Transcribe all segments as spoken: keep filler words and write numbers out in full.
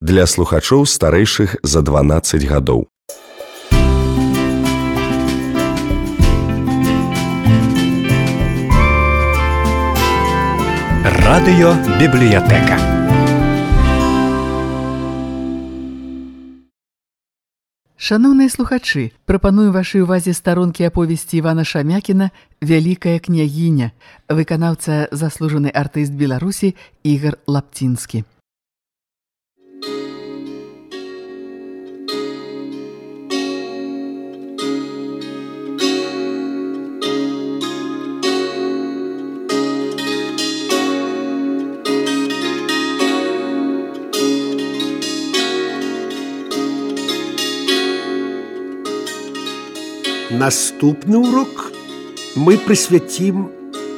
для слухачоў старэйшых за дванаццаць гадоў. Радыёбібліятэка. Шаноўныя слухачы, прапаную вашай увазе старонкі аповесці Івана Шамякіна «Вялікая княгіня», выканаўца заслужаны артыст Беларусі Ігар Лапцінскі. Наступны урок мы прысвяцім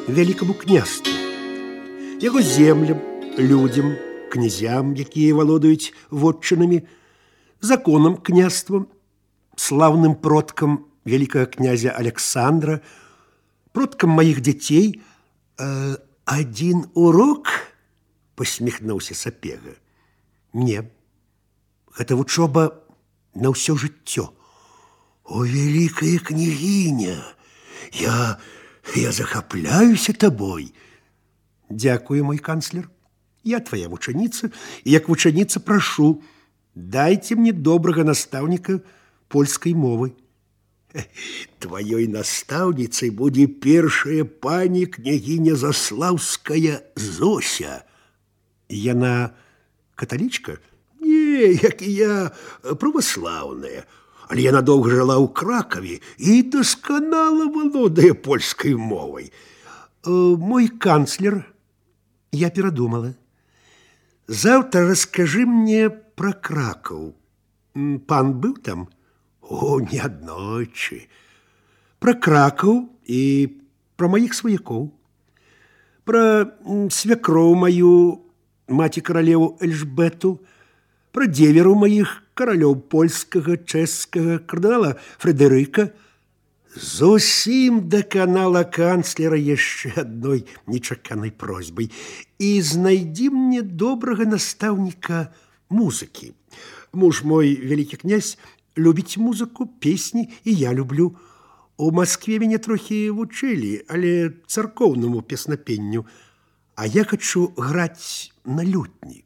вялікаму княству, яго землям, людзям, князям, якія валодаюць вотчынамі, законам княствам, слаўным продкам вялікага князя Александра, продкам маіх дзяцей. Э, адзін урок, посміхнуўся Сапега. Не, гэта вучоба на ўсё жыццё. О, великая княгиня, я, я захапляюся тобой. Дякую, мой канцлер. Я твоя вученица, и як вученица прошу, дайте мне доброго наставника польской мовы. Твоей наставницей будет першая пани княгиня Заславская Зося. Яна католичка? Не, як и я, православная. Але яна доўга жыла ў Кракаве і дасканала валодае польскай мовай. Э, мой канцлер, я перадумала. Заўтра раскажы мне пра Кракаў. Пан быў там? О, неаднойчы. Пра Кракаў і пра маіх сваякоў. Пра свякроў маю, маці каралеву Эльжбету, пра дзеверу маіх каралёў польскага, чэшскага, кардынала Фрэдэрыка. Зусім даканала канцлера яшчэ адной нечаканай просьбай. І знайдзі мне добрага настаўніка музыкі. Муж мой, вялікі князь, любіць музыку, песні, і я люблю. У Маскве мяне трохі вучылі, але царкоўнаму песнапенню. А я хачу граць на лютні.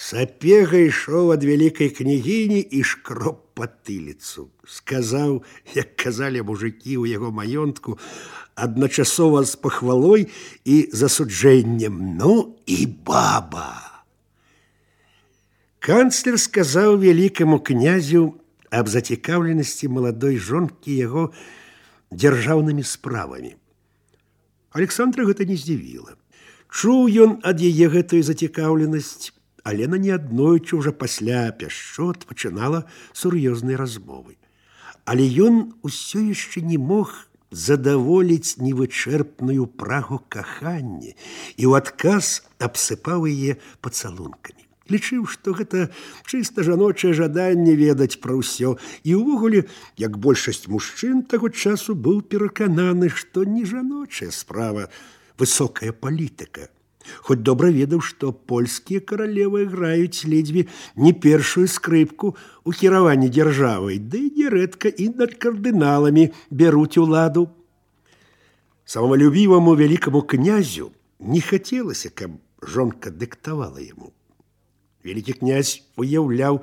Сапега ішоў ад вялікай княгіні і шкроп патыліцу. Сказаў, як казалі мужыкі ў яго маёнтку, адначасова з пахвалой і засуджэннем: ну і баба. Канцлер сказаў вялікаму князю аб зацікаўленасці маладой жонкі яго дзяржаўнымі справамі. Александра гэта не здзівіла. Чуў ён ад яе гэтую зацікаўленасць, Алена неаднойчы ўжо пасля пяшчот пачынала сур'ёзныя размовы. Але ён усё яшчэ не мог задаволіць невычэрпную прагу кахання і ў адказ абсыпаў яе пацалункамі. Лічыў, што гэта чыста жаночае жаданне ведаць пра ўсё, і ўвогуле, як большасць мужчын таго часу, быў перакананы, што не жаночая справа, высокая палітыка. Хоць добра ведаў, што польскія каралевы граюць ледзьве не першую скрыпку ў кіраванні дзяржавай, ды нярэдка і над кардыналамі бяруць уладу. Самалюбіваму вялікаму князю не хацелася, каб жонка дыктавала яму. Вялікі князь уяўляў,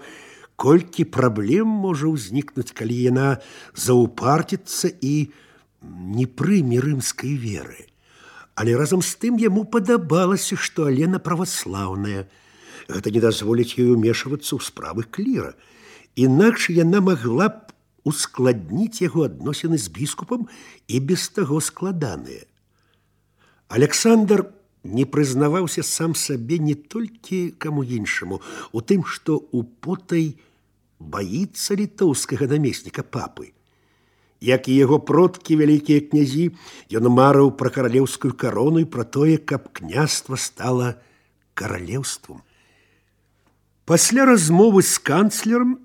колькі праблем можа ўзнікнуць, калі яна заўпарціцца і не прыме рымскай веры. Але разам з тым яму падабалася, што Алена праваслаўная. Гэта не дазволіць ёй умешвацца ў справы кліра. Інакш яна магла б ускладніць яго адносіны з біскупам і без таго складаныя. Александр не прызнаваўся сам сабе не толькі каму іншаму, у тым, што употай баіцца літоўскага намесніка папы. Як і яго продкі, вялікія князі, ён марыў пра каралеўскую карону і пра тое, каб княства стала каралеўствам. Пасля размовы з канцлерам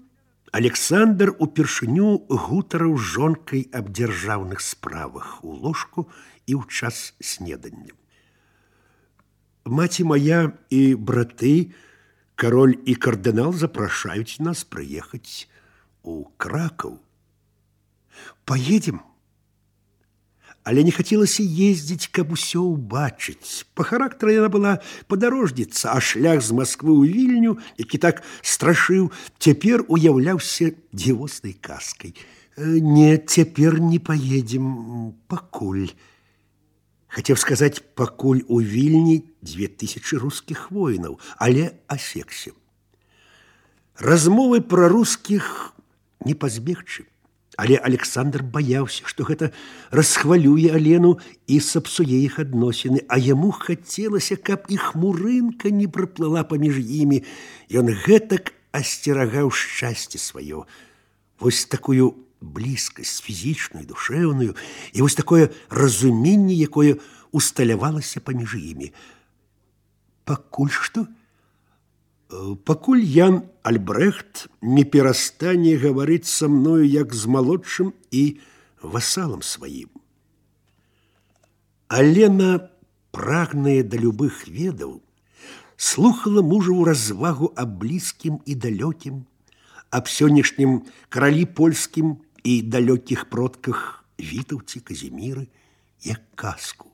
Александр упершыню гутарыў з жонкай аб дзяржаўных справах у ложку і ў час снедання. Маці моя і браты король и кардинал запрашаюць нас приехать у Краков. Поедем. Але не хацелася ездзіць, каб усё ўбачыць. Па характары яна была падарожніца, а шлях з Масквы ў Вільню, які так страшыў, цяпер уяўляўся дзівоснай казкай. Не, цяпер не поедем, пакуль. Хацеў сказаць, пакуль у Вільні дзве тысячы рускіх воінаў, але асекся. Размовы пра рускіх не пазбегчы. Але Александр баяўся, што гэта расхвалюе Алену і сапсуе іх адносіны, а яму хацелася, каб і хмурынка не праплыла паміж імі. Ён гэтак асцерагаў шчасце сваё. Вось такую блізкасць фізічную, душэўную, і вось такое разуменне, якое усталявалася паміж імі. Пакуль што? Пакуль Ян Альбрэхт не перастане гаварыць са мною як з малодшым і васалам сваім. Алена, прагная да любых ведаў, слухала мужаву развагу аб блізкім і далёкім, аб сённяшнім каралі польскім і далёкіх продках Вітаўці, Казіміры, як казку.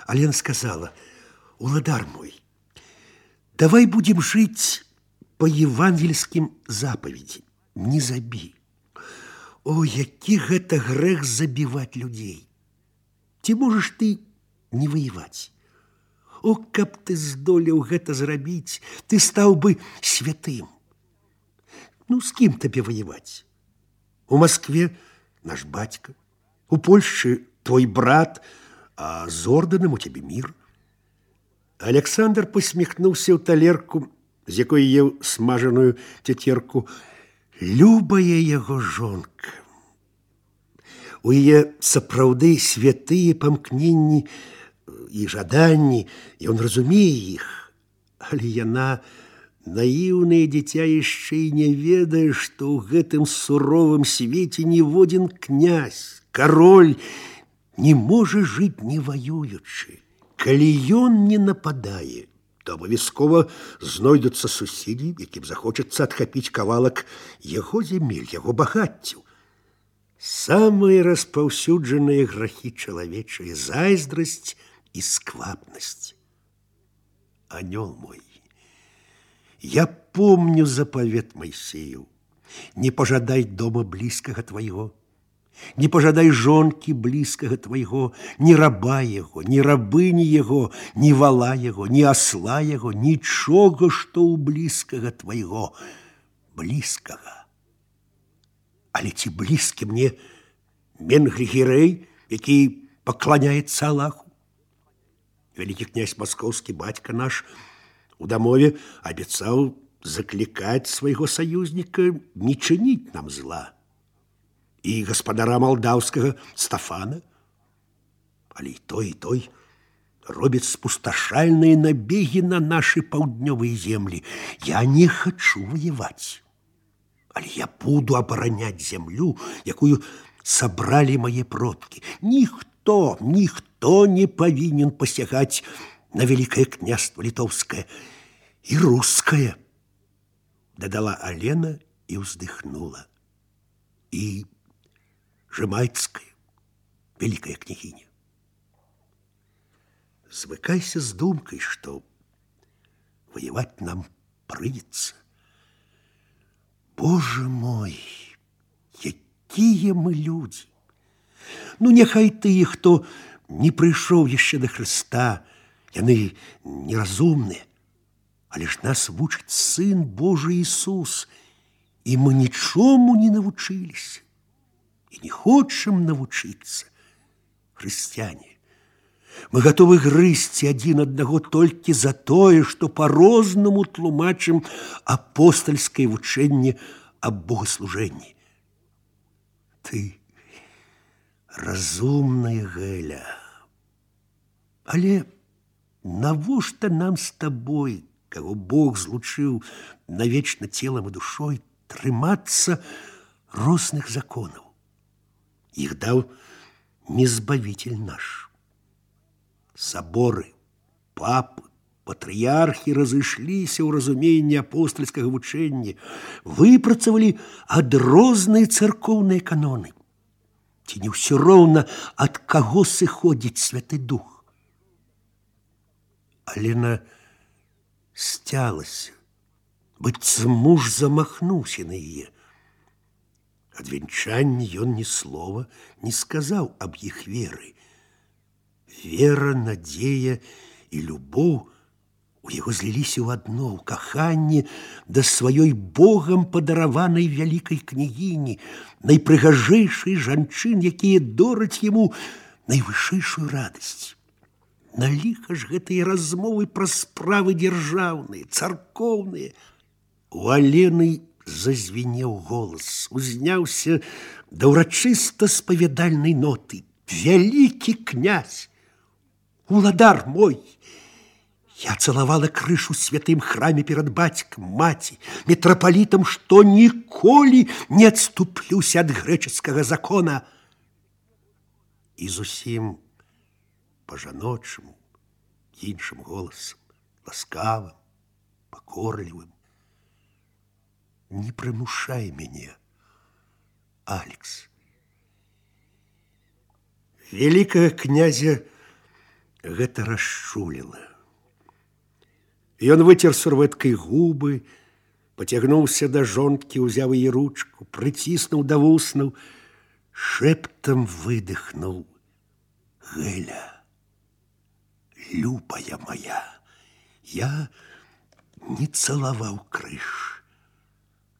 Алена сказала: «Уладар мой, давай будем жить по евангельским заповеди. Не забі. О, які гэта грэх забіваць людзей. Ці можаш ты не воевать? О, каб ты здолеў гэта зрабіць, ты стаў бы святым. Ну, з кім табе воевать? У Москве наш бацька, у Польшчы твой брат, а з ордэнам у цябе мір». Александр посміхнуўся ў талерку, з якой еў смажаную цяцерку. Любая яго жонка. У яе сапраўды святыя памкненні і жаданні, ён разумее іх, але яна, наіўнае дзіця, яшчэ і не ведае, што ў гэтым суровым свеце ніводзін князь, кароль не можа жыць не ваюючы. Калі ён не нападае, то абавязкова знойдуцца суседзі, якім захочацца адхапіць кавалак яго зямель, яго багаццяў. Самыя распаўсюджаныя грахі чалавечыя — зайздрасць і сквапнасць. Анёл мой, я помню запавет Майсею: не пожадай дома блізкага твайго, не пожадай жонкі блізкага твайго, ні раба яго, ні рабыні яго, ні вала яго, ні асла яго, нічога, што ў блізкага твайго, блізкага. Але ці блізкі мне Менгригерей, які пакланяецца Аллаху? Вялікі князь маскоўскі, бацька наш, у дамове абяцаў заклікаць свайго саюзніка не чыніць нам зла. І гаспадара малдаўскага Стафана. Але і той, і той робяць спусташальныя набегі на нашы паўднёвыя землі. Я не хачу воевать, але я буду абараняць зямлю, якую сабралі мае продкі. Ніхто, ніхто не павінен пасягаць на вялікае княства літоўскае і рускае, дадала Алена і ўздыхнула. І Жемайцкая, великая княгиня. Звыкайся с думкой, что воевать нам придется. Боже мой, якія мы люди! Ну, няхай тыя, хто не прыйшоў яшчэ да Хрыста, яны неразумныя, але ж нас вучыць Сын Божий Ісус, і мы нічому не навучыліся. И не хочам навучыцца. Хрысціяне, мы гатовы грызці адзін аднаго толькі за тое, што па-рознаму тлумачым апостальскае вучэнне аб богаслужэнні. Ты разумная, Гэля. Але навошта нам з табой, каго Бог злучыў навечна целам і душой, трымацца розных законаў? Их дал не Збавитель наш. Соборы, папы, Патрыярхі разышліся ў разуменні апостальскага вучэння, выпрацавалі адрозныя царкоўныя каноны. Ці не ўсё роўна, ад каго сыходзіць Святы Дух? Алена сцялася, быццам муж замахнуўся на яе. Ад вянчання ён ні слова не сказаў аб іх веры. Вера, надзея і любоў у яго зліліся ў адно, ў каханне да сваёй Богам падараванай вялікай княгіні, найпрыгажэйшай жанчын, якія дораць яму найвышэйшую радасць. На ліха ж гэтыя размовы пра справы дзяржаўныя, царкоўныя. У Алены зазвінеў голас, узняўся да ўрачыста спавядальнай ноты. Вялікі князь, уладар мой! Я цалавала крышу святым храме перад бацькам, маці, мітрапалітам, што ніколі не адступлюся ад грэчаскага закона. І зусім па-жаночаму, іншым голасам, ласкавым, пакорлівым: не прымушай мяне, Алекс. Вялікага князя гэта расчуліла. Ён выцер сурвэткай губы, пацягнуўся да жонкі, узяў яе ручку, прыціснуў да вуснаў, шэптам выдыхнуў: Гэля, любая моя, я не цалаваў крыж,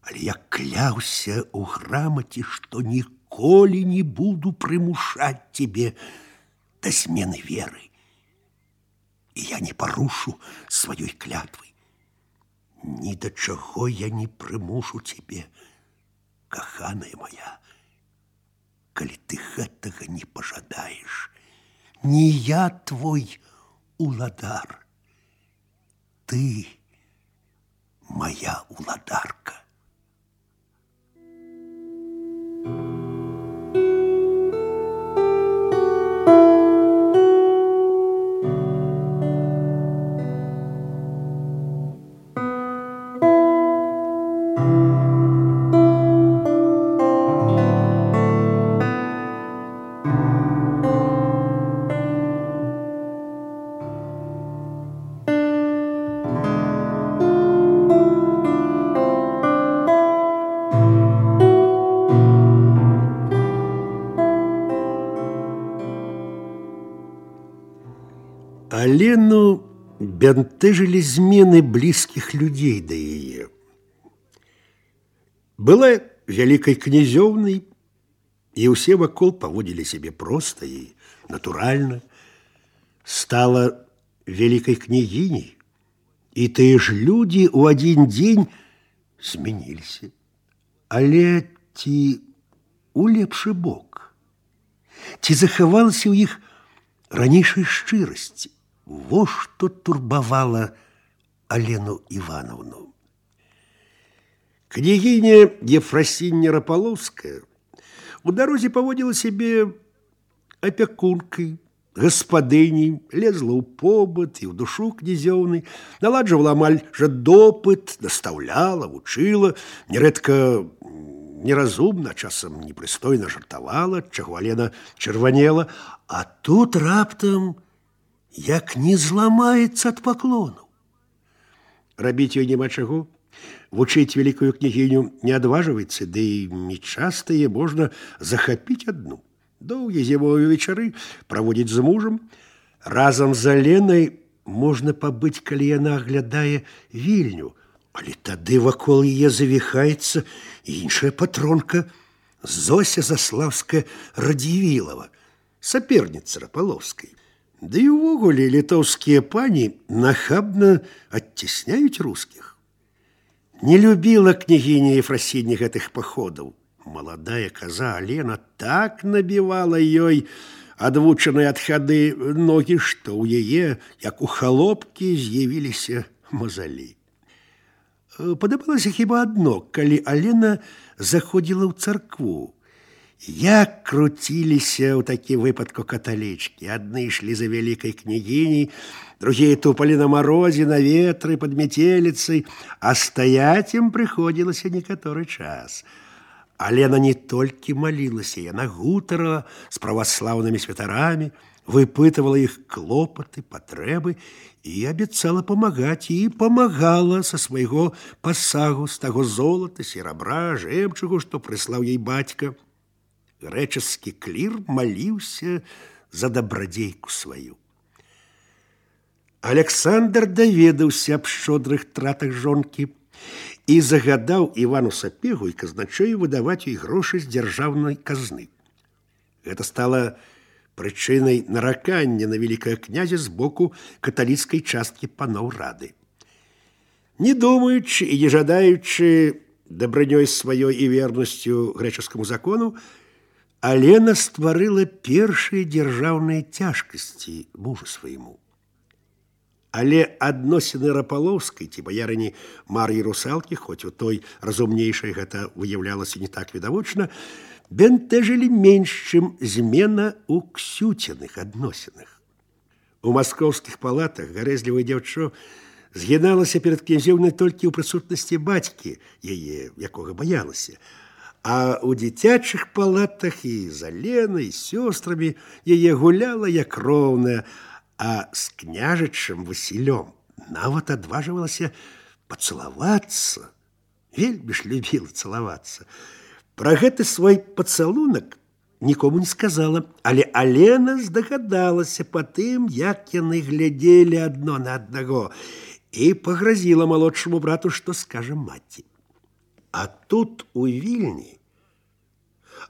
але я кляўся ў грамаце, што ніколі не буду прымушаць цябе да змены веры. І я не парушу сваёй клятвы. Ні да чаго я не прымушу цябе, каханая моя, калі ты гэтага не пажадаеш. Не я твой уладар, ты моя уладарка. Алену бянтэжылі змены блізкіх людзей да яе. Была вялікай князёўнай, і ўсе вакол паводзілі сябе проста і натуральна. Стала вялікай княгіняй, і тыя ж людзі ў адзін дзень змяніліся. Але ці у лепшы бок? Ці захавалася ў іх ранейшай шчырасці? Во што турбавала Алену Івановну. Княгіня Ефрасіння Рапаловская у дарозе паводзіла сябе апякункай, гаспадыняй, лезла ў побыт і ў душу князёўнай, наладжвала амаль жа допыт, настаўляла, вучыла, нярэдка неразумна, часам непрыстойна жартавала, чаго Алена чырванела, а тут раптам як не зламаецца ад паклону. Рабіць ёй няма чаго. Вучыць вялікую княгіню не адважваецца, ды і нечаста яе можна захапіць адну. Доўгія зімовыя вечары праводзіць з мужам. Разам з Аленай можна пабыць, калі яна аглядае Вільню, але тады вакол яе завіхаецца іншая патронка Зося Заслаўская-Радзівілава, саперніца Рапаловскай. Да і ўвогуле літоўскія пані нахабна адцісняюць рускіх. Не любіла княгіня Ефрасіння гэтых паходаў. Маладая каза Алена так набівала ёй адвучаныя ад хады ногі, што ў яе, як у халопкі, з'явіліся мазалі. Падабалася хіба адно, калі Алена заходзіла ў царкву, Як круціліся ў такім выпадку каталічкі. Адны ішлі за вялікай княгіняй, другие тупали на морозе, на ветры, под метелицей, а стаять им приходилось некоторый час. Алена не только молилась, яна гутарала с православными святарами, выпытывала их клопоты, потребы и обещала помогать, и помогала со своего пасагу, с того золота, серебра, жемчугу, что прислал ей батька. Греческий клир молился за добродейку свою. Александр даведаўся аб шчодрых тратах жонкі і загадаў Івану Сапегу і казначею выдаваць ёй грошы з дзяржаўнай казны. Гэта стала прычынай наракання на вялікага князя з боку каталіцкай часткі паноў рады. Не думаючы і не жадаючы дабрынёй сваёй і вернасцю грэчаскаму закону, Алена стварыла першыя дзяржаўныя цяжкасці мужу свайму. Але адносіны Рапалоўскай ці баярыні Мар'і Русалкі, хоць у той разумнейшай гэта выяўлялася не так відавочна, бянтэжылі менш, чым змена ў Ксюціных адносінах. У маскоўскіх палатах гарэзлівае дзяўчо згіналася перад князёўнай толькі ў прысутнасці бацькі яе, якога баялася, а ў дзіцячых палатах і з Аленай, сёстрамі яе гуляла як роўная, а с княжычым Васілём нават адважвалася пацалавацца. Вельмі ж любіла цалавацца. Пра гэты свой пацалунак нікому не сказала, але Алена здагадалася па тым, як яны глядзелі адно на аднаго, і пагразіла малодшаму брату, што скажа маці. А тут у Вільні,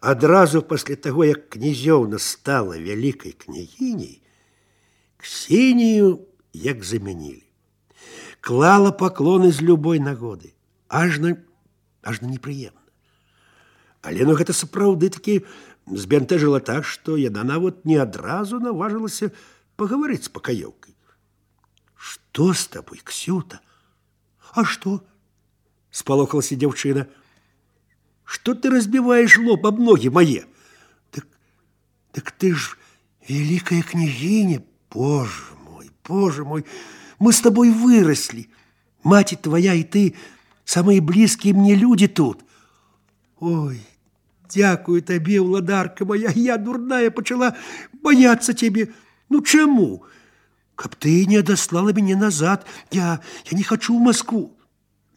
адразу пасля таго, як князёўна стала вялікай княгіняй, Ксенію як замянілі. Клала паклоны з любой нагоды. Ажна, ажна непрыемна. Алену гэта сапраўды такі збянтэжыла так, што яна нават не адразу наважылася пагаварыць з пакаёўкай. Што з табой, Ксюта? А што? Спалохалася дзяўчына. Што ты разбіваеш лоб аб ногі мае? Так, так ты ж вялікая княгіня. Боже мой, Боже мой, мы с тобой выросли. Мать твоя и ты самые близкие мне люди тут. Ой, дякую тебе, уладарка моя, я дурная почала бояться тебе. Ну, чему? Каб ты не отослала меня назад, я, я не хочу в Москву.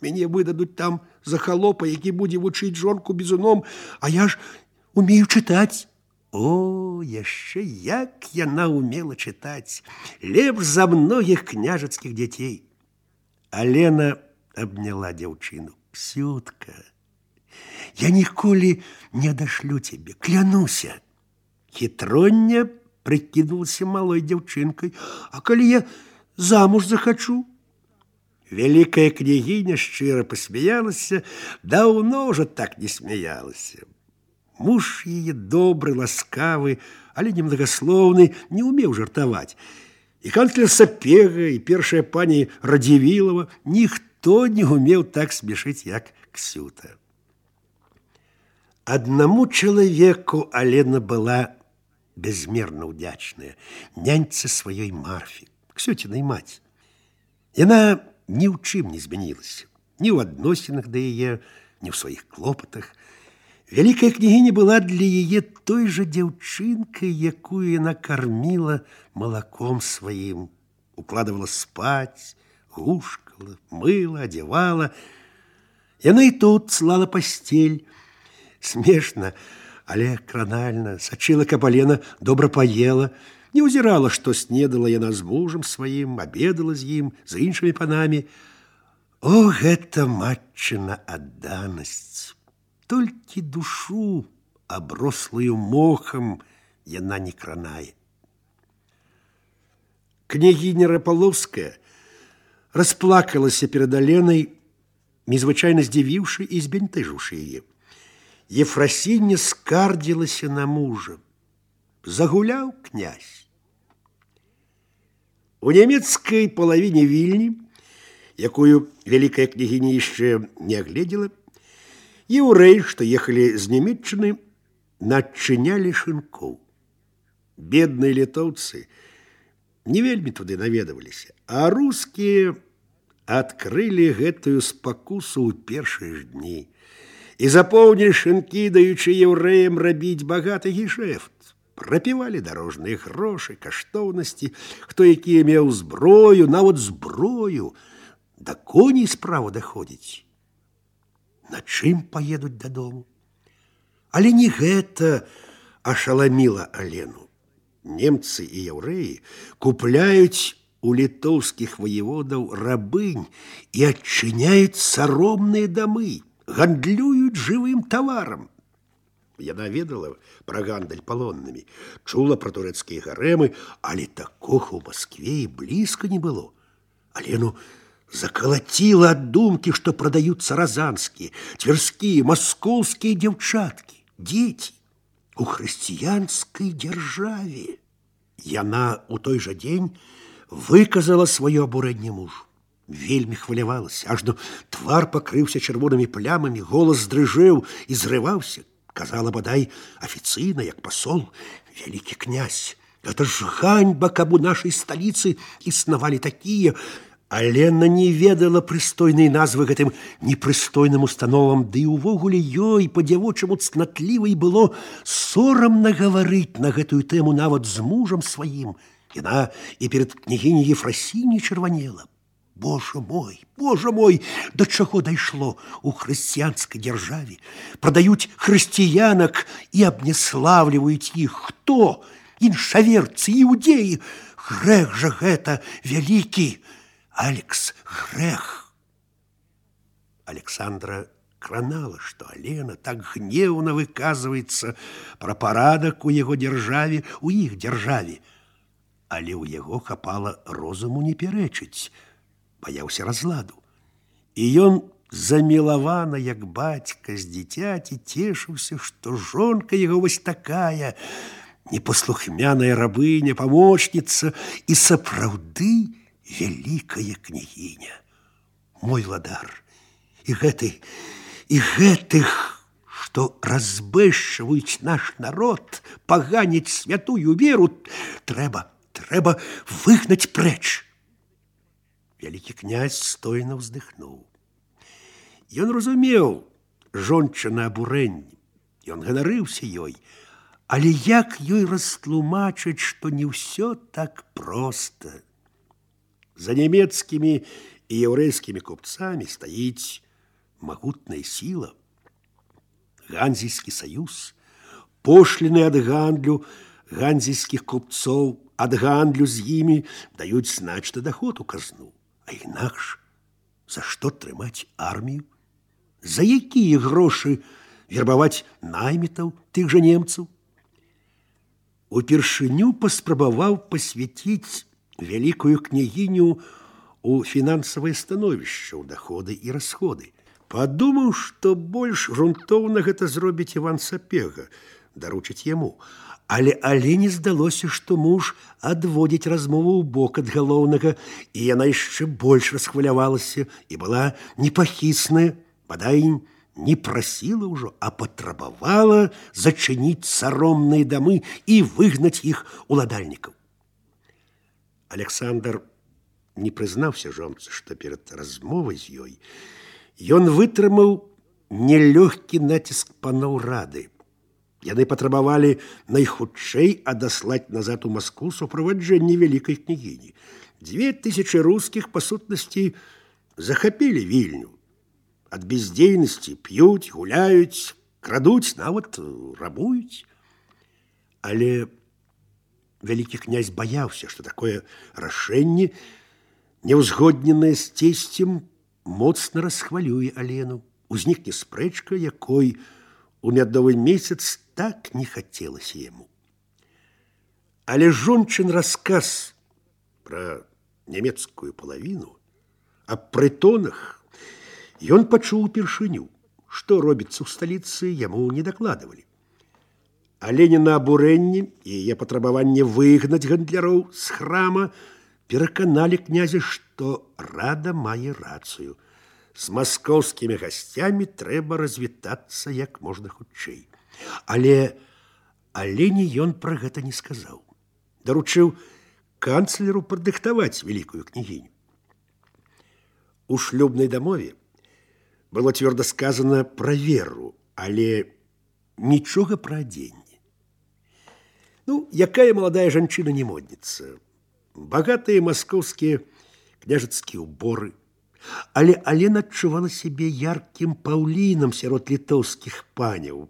Мяне выдадут там за холопа, які будзе вучыць жонку бізуном, а я ж умею чытаць. О, яшчэ як яна умела чытаць, лепш за многіх княжацкіх дзяцей. Алена абняла дзяўчыну. Ксютка, я ніколі не адашлю цябе, клянуся. Хітроння прыкідвалася малой дзяўчынкай. А калі я замуж захачу? Вялікая княгіня шчыра пасмяялася, даўно ўжо так не смяялася. Муж яе добры, ласкавы, але немногословны, не умеў жартаваць. І канцлер Сапега, і першая пані Радзівілава, ніхто не умеў так смешыць, як Ксюта. Аднаму чалавеку Алена была безмерна ўдзячная, няньцы сваёй Марфі, Ксюцінай маці. Яна ні ў чым не змянілася, ні ў адносінах да яе, ні ў сваіх клопатах. Вялікая княгіня была для яе той жа дзяўчынкай, якую яна карміла малаком сваім, укладывала спаць, гушкала, мыла, адзявала. Яна і тут слала пасцель. Смешна, але кранальна, сачыла, каб Алена добра паела, не ўзірала, што снедала яна з мужам сваім, абедала з ім, з іншымі панамі. О, гэта матчына адданасць! Толькі душу, аброслую мохам, яна не кранае. Княгіня Рапалоўская расплакалася перад Аленай, незвычайна здзівіўшы і збянтэжыўшы яе. Ефрасіння скардзілася на мужа. Загуляў князь. У нямецкай палавіне Вільні, якую вялікая княгіня яшчэ не агледзела, еўрэі, што ехалі з Нямецчыны, начынялі шынкоў. Бедныя літоўцы не вельмі туды наведаваліся, а рускія адкрылі гэтую спакусу ў першыя ж дні і запоўнілі шынкі, даючы яўрэям рабіць багаты гешэфт. Прапівалі дарожныя грошы, каштоўнасці, хто якія меў зброю, нават зброю. Да коней справа даходзіць. На чым паедуць дадому? Але не гэта ашаламіла Алену. Немцы і яўрэі купляюць у літоўскіх ваеводаў рабынь і адчыняюць саромныя дамы, гандлююць жывым таварам. Яна ведала пра гандаль палоннымі, чула пра турэцкія гарэмы, але такога ў Маскве і блізка не было. Алену закалаціла ад думкі, што прадаюцца разанскія, цверскія, маскоўскія дзяўчаткі, дзеці у хрысціянскай дзяржаве. Яна ў той жа дзень выказала сваё абурэнне мужу. Вельмі хвалявалася, ажно твар пакрыўся чырвонымі плямамі, голас здрыжэў і зрываўся. Казала бадай афіцыйна, як пасол: «Вялікі князь, гэта ж ганьба, каб у нашай сталіцы існавалі такія». Алена не ведала прыстойнай назвы гэтым непрыстойным установам, ды і ўвогуле ёй па-дзявочаму цнатлівай было сорамна гаварыць на гэтую тэму нават з мужам сваім. Яна і перад княгіняй Ефрасіняй чырванела. Боже мой, Боже мой, да чаго дайшло у хрысціянскай дзяржаве? Прадаюць хрысціянак і абняславліваюць іх. Хто? Іншаверцы, іудеі. Грэх жа гэта вялікі. Алекс, грэх. Александра кранала, што Алена так гневна выказваецца пра парадак у яго дзяржаве, у іх дзяржаве. Але ў яго хапала розуму не пярэчыць, баяўся разладу. І ён замілавана, як бацька з дзіцяці, цешыўся, што жонка яго вось такая, непаслухмяная рабыня, памочніца і сапраўды вялікая княгіня. Мой владар, і гэты, і гэтых, што разбэшчваюць наш народ, паганяць святую веру, трэба, трэба выгнаць прэч. Вялікі князь стойна ўздыхнуў. Ён разумеў жончына абурэнне, ён ганарыўся ёй, але як ёй растлумачыць, што не ўсё так проста. За нямецкімі і яўрэйскімі купцамі стаіць магутная сіла. Ганзійскі саюз, пошліны ад гандлю ганзійскіх купцоў, ад гандлю з імі даюць значны даход у казну. А інакш, за што трымаць армію? За якія грошы вербаваць наймітаў тых жа немцаў? Упершыню паспрабаваў пасвяціць вялікую княгіню у фінансавае становішча, ў даходы і расходы. Падумаў, што больш грунтоўна гэта зробіць Іван Сапега, даручыць яму. Але Алене здалося, што муж адводзіць размову ў бок ад галоўнага, і яна яшчэ больш расхвалявалася і была непахісная, бадай не прасіла ўжо, а патрабавала зачыніць саромныя дамы і выгнаць іх уладальнікаў. Александр не прызнаўся жонцы, што перад размовай з ёй ён вытрымаў нелёгкі націск паноў рады. Яны патрабавалі найхутчэй адаслаць назад у Маскву суправаджэнне вялікай княгіні. Дзве тысячы рускіх, па сутнасці, захапілі Вільню. Ад бездзейнасці п'юць, гуляюць, крадуць, нават рабуюць. Але вялікі князь баяўся, што такое рашэнне, неўзгодненае з цесцем, моцна расхвалюе Алену. Узнікне спрэчка, якой у мядовы месяц так не хацелася яму. Але жончын расказ пра нямецкую палавіну, аб прытонах, ён пачуў упершыню. Што робіцца ў сталіцы, яму не дакладвалі. Аленіна абурэнне і яе патрабаванне выгнаць гандляроў з храма пераканалі князя, што рада мае рацыю. З маскоўскімі гасцямі трэба развітацца як можна хутчэй. Але Алені ён пра гэта не сказаў. Даручыў канцлеру падрыхтаваць вялікую княгіню. У шлюбнай дамове было цвёрда сказана пра веру, але нічога пра адзенне. Ну, якая маладая жанчына не модніца. Багатыя маскоўскія княжацкія ўборы. Але Алена адчувала сябе яркім паўлінам сярод літоўскіх паняў.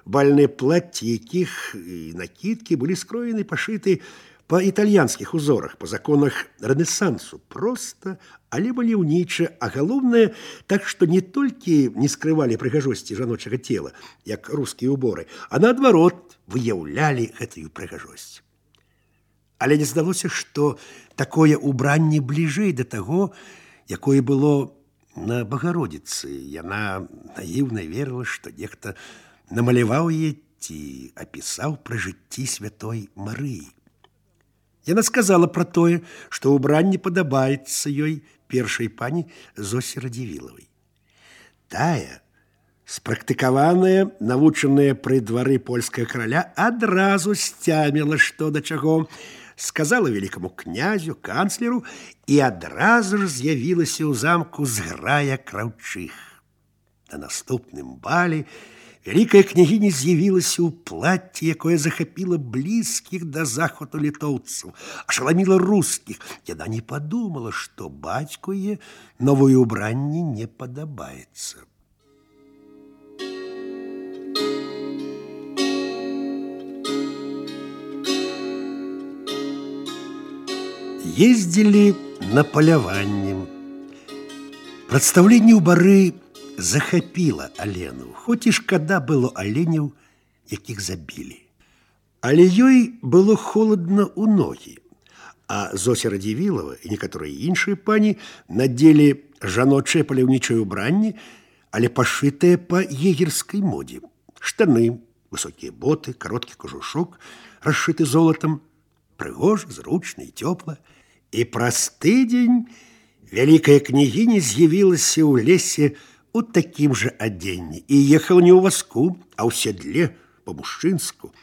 Бальныя платці, якіх і накідкі былі скроены, пашыты па італьянскіх узорах, па законах рэнесансу. Проста, але маляўніча, а галоўнае, так што не толькі не скрывалі прыгажосці жаночага цела, як рускія ўборы, а наадварот выяўлялі гэтую прыгажосць. Але не здалося, што такое ўбранне бліжэй да таго, якое было на Багародзіцы. Яна наіўна верыла, што нехта намаляваў яе ці апісаў пры жыцці святой Марыі. Яна сказала пра тое, што ўбранне падабаецца ёй першай пані Зосі Радзівілавай. Тая, спрактыкаваная, навучаная пры двары польскага караля, адразу сцяміла, што да чаго, сказала вялікаму князю, канцлеру, і адразу ж з'явілася ў замку зграя краўчых. На наступным бале вялікая княгіня з'явілася ў платці, якое захапіла блізкіх да захвату літоўцаў, ашаламіла рускіх. Яна не падумала, што бацьку яе новае ўбранне не падабаецца. Ездзілі на паляванне. Прадстаўленне ў бары захапіла Алену, хоць і шкада было аленяў, якіх забілі. Але ёй было холадна ў ногі, а Зося Радзівілава і некаторыя іншыя пані надзелі жаночае паляўнічае ўбранне, але пашытае па егерскай модзе. Штаны, высокія боты, кароткі кажушок, расшыты золатам, прыгожа, зручна і цёпла. І праз тыдзень вялікая княгіня з'явілася ў лесе у такім жа адзенні і ехала не ў вазку, а ў седле, па-мужчынску.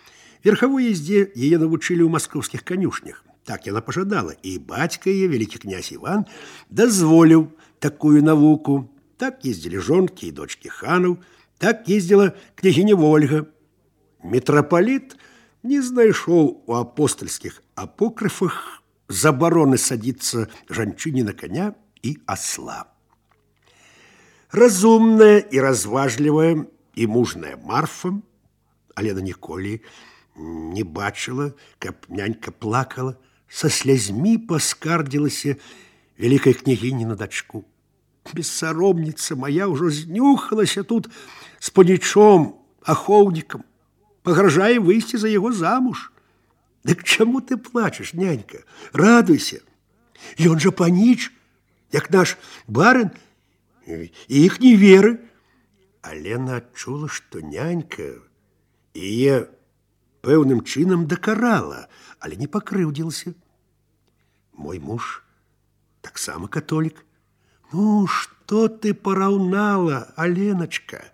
Верхавой ездзе яе навучылі ў маскоўскіх канюшнях. Так яна пажадала, і бацька яе, вялікі князь Іван, дазволіў такую навуку. Так ездзілі жонкі і дочкі ханаў, так ездзіла княгіня Вольга. Мітрапаліт не знайшоў у апостальскіх апокрыфах забароны садіцца жанчыне на коня і асла. Разумная і разважлівая і мужная Марфа, Алена ніколі не бачыла, каб нянька плакала, са слязьмі паскардзілася вялікай княгіні на дачку. Бессаромніца моя ўжо знюхалася тут з панічом, ахоўнікам, пагражае выйсці за яго замуж. Дык чаму ты плачаш, нянька? Радуйся. Ён жа паніч, як наш барын, і іх не веры. Алена адчула, што нянька яе пэўным чынам дакарала, але не пакрыўдзілася. Мой муж таксама католік. Ну, што ты параўнала, Аленачка?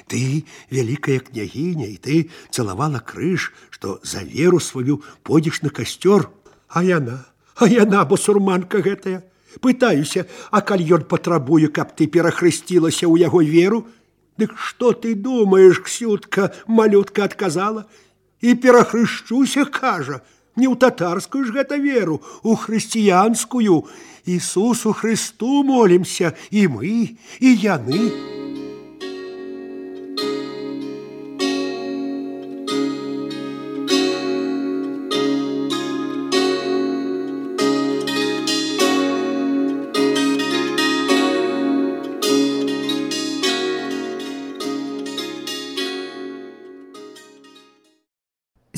Ты вялікая княгіня, і ты цалавала крыж, што за веру сваю пойдзеш на касцёр. А яна, а яна, басурманка гэтая. Пытаюся, а калі ён патрабуе, каб ты перахрысцілася ў яго веру? Дык што ты думаеш, Ксютка, малютка адказала? І перахрышчуся, кажа. Не ў татарскую ж гэта веру, у хрысціянскую. Ісусу Христу молімся, і мы, і яны.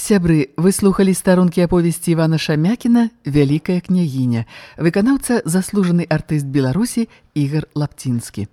Сябры, вы слухалі старонкі аповесці Івана Шамякіна «Вялікая княгіня». Выканаўца заслужаны артыст Беларусі Ігар Лапцінскі.